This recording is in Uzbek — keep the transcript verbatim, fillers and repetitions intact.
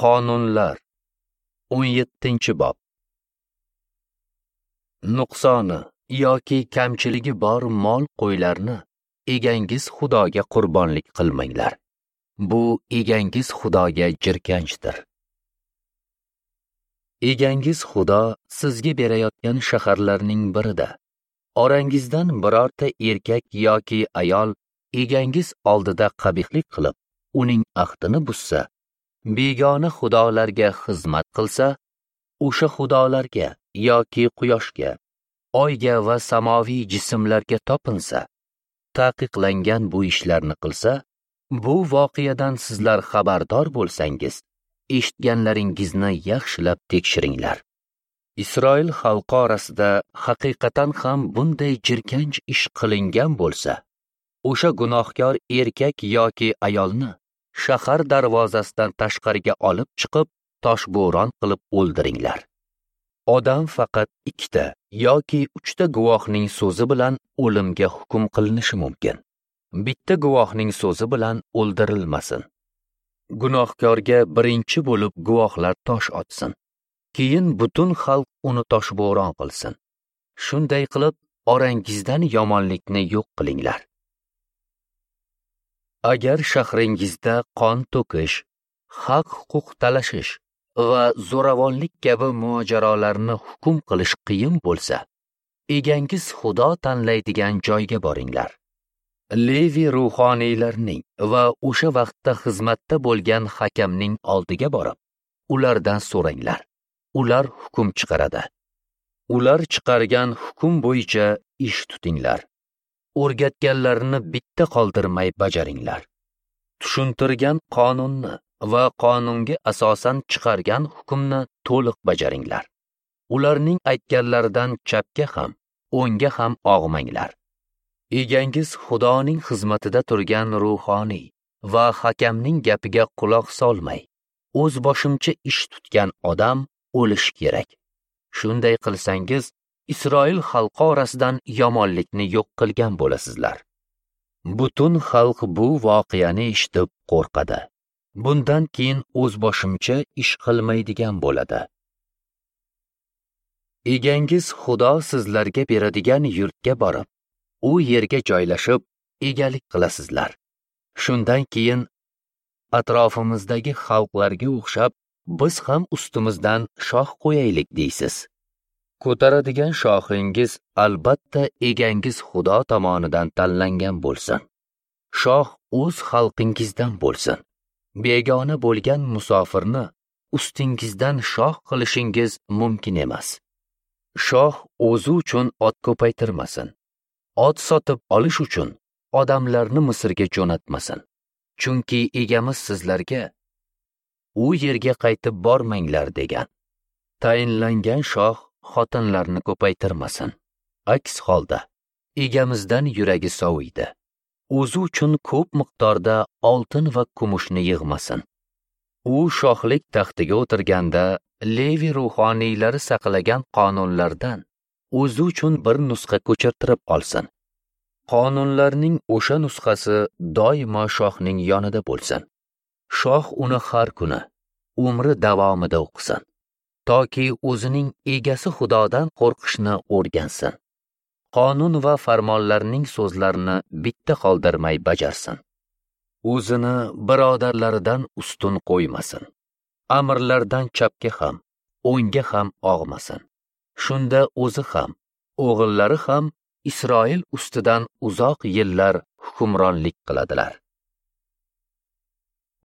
Qonunlar o'n yettinchi bob. Nuqsoni yoki kamchiligi bor mol qo'ylarni egangiz Xudoga qurbonlik qilmanglar. Bu egangiz Xudoga jirkanchdir. Egangiz Xudo sizga berayotgan shaharlarning birida orangizdan birorta erkak yoki ayol egangiz oldida qabihlik qilib, uning ahdini buzsa, begona xudolarga xizmat qilsa, o'sha xudolarga yoki quyoshga, oyga va samoviy jismlarga topinsa, taqiqlangan bu ishlarni qilsa, bu voqeadan sizlar xabardor bo'lsangiz, eshitganlaringizni yaxshilab tekshiringlar. Isroil xalqi orasida haqiqatan ham bunday jirkanch ish qilingan bo'lsa, o'sha gunohkor erkak yoki ayolni shahar darvozasidan tashqariga olib chiqib, toshbo'ron qilib o'ldiringlar. Odam faqat ikkita yoki uchta guvohning so'zi bilan o'limga hukm qilinishi mumkin. Bitta guvohning so'zi bilan o'ldirilmasin. Gunohkorga birinchi bo'lib guvohlar tosh otsin. Keyin butun xalq uni toshbo'ron qilsin. Shunday qilib orangizdan yomonlikni yo'q qilinglar. Agar shahringizda qon to'kish, haq-huquq talashish va zo'ravonlik kabi mojarolarni hukm qilish qiyin bo'lsa, egangiz Xudo tanlaydigan joyga boringlar. Levi ruhoniylarning va o'sha vaqtda xizmatda bo'lgan hakamning oldiga borib, ulardan so'ranglar. Ular hukm chiqaradi. Ular chiqargan hukm bo'yicha ish tutinglar. O'rgatganlarini bitta qoldirmay bajaringlar. Tushuntirgan qonunni va qonunga asosan chiqargan hukmni to'liq bajaringlar. Ularning aytganlaridan chapga ham, o'ngga ham og'manglar. Egangiz Xudoning xizmatida turgan ruhoniy va hakamning gapiga quloq solmay, o'z boshimcha ish tutgan odam o'lishi kerak. Shunday qilsangiz, Isroil xalqi orasidan yomonlikni yo'q qilgan bo'lasizlar. Butun xalq bu voqeani eshitib qo'rqadi. Bundan keyin o'z boshimcha ish qilmaydigan bo'ladi. Egangiz Xudo sizlarga beradigan yurtga borib, u yerga joylashib, egalik qilasizlar. Shundan keyin atrofimizdagi xalqlarga o'xshab, biz ham ustimizdan shoh qo'yaylik deysiz. Ko'taradigan shohingiz albatta egangiz Xudo tomonidan tanlangan bo'lsin. Shoh o'z xalqingizdan bo'lsin. Begona bo'lgan musofirni ustingizdan shoh qilishingiz mumkin emas. Shoh o'zi uchun ot ko'paytirmasin. Ot sotib olish uchun odamlarni Misrga jo'natmasin. Chunki egamiz sizlarga u yerga qaytib bormanglar degan. Tayinlangan shoh xotinlarni ko'paytirmasin. Aks holda egamizdan yuragi soviydi. O'zi uchun ko'p miqdorda oltin va kumushni yig'masin. U shohlik taxtiga o'tirganda Levi ruhoniylari saqlagan qonunlardan o'zi uchun bir nusxa ko'chirtirib olsin. Qonunlarning o'sha nusxasi doimo shohning yonida bo'lsin. Shoh uni har kuni umri davomida o'qisin, toki o'zining egasi Xudodan qo'rqishni o'rgansin. Qonun va farmonlarning so'zlarini bitta qoldirmay bajarsin. O'zini birodarlaridan ustun qo'ymasin. Amirlardan chapga ham, o'ngga ham og'masin. Shunda o'zi ham, o'g'illari ham Isroil ustidan uzoq yillar hukmronlik qiladilar.